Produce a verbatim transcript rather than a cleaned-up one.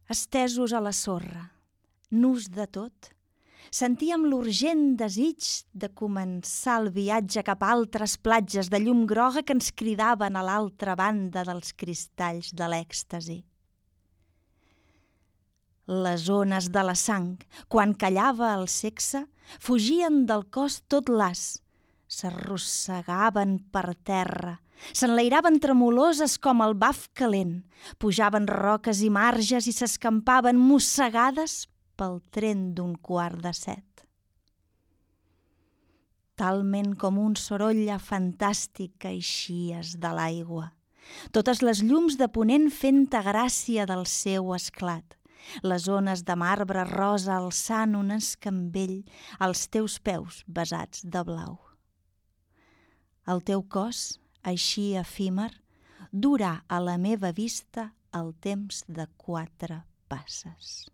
Estesos a la sorra, nus de tot, sentíem l'urgent desig de començar el viatge cap a altres platges de llum groga que ens cridaven a l'altra banda dels cristalls de l'èxtasi. Les ones de la sang, quan callava el sexe, fugien del cos tot las, s'arrossegaven per terra, s'enlairaven tremoloses com el baf calent, pujaven roques i marges i s'escampaven mossegades pel tren d'un quart de set. Talment com un sorolla fantàstic que eixies de l'aigua, totes les llums de ponent fent-te gràcia del seu esclat, les ones de marbre rosa alçant un escambell als teus peus besats de blau. El teu cos, així efímer, durà a la meva vista el temps de quatre passes.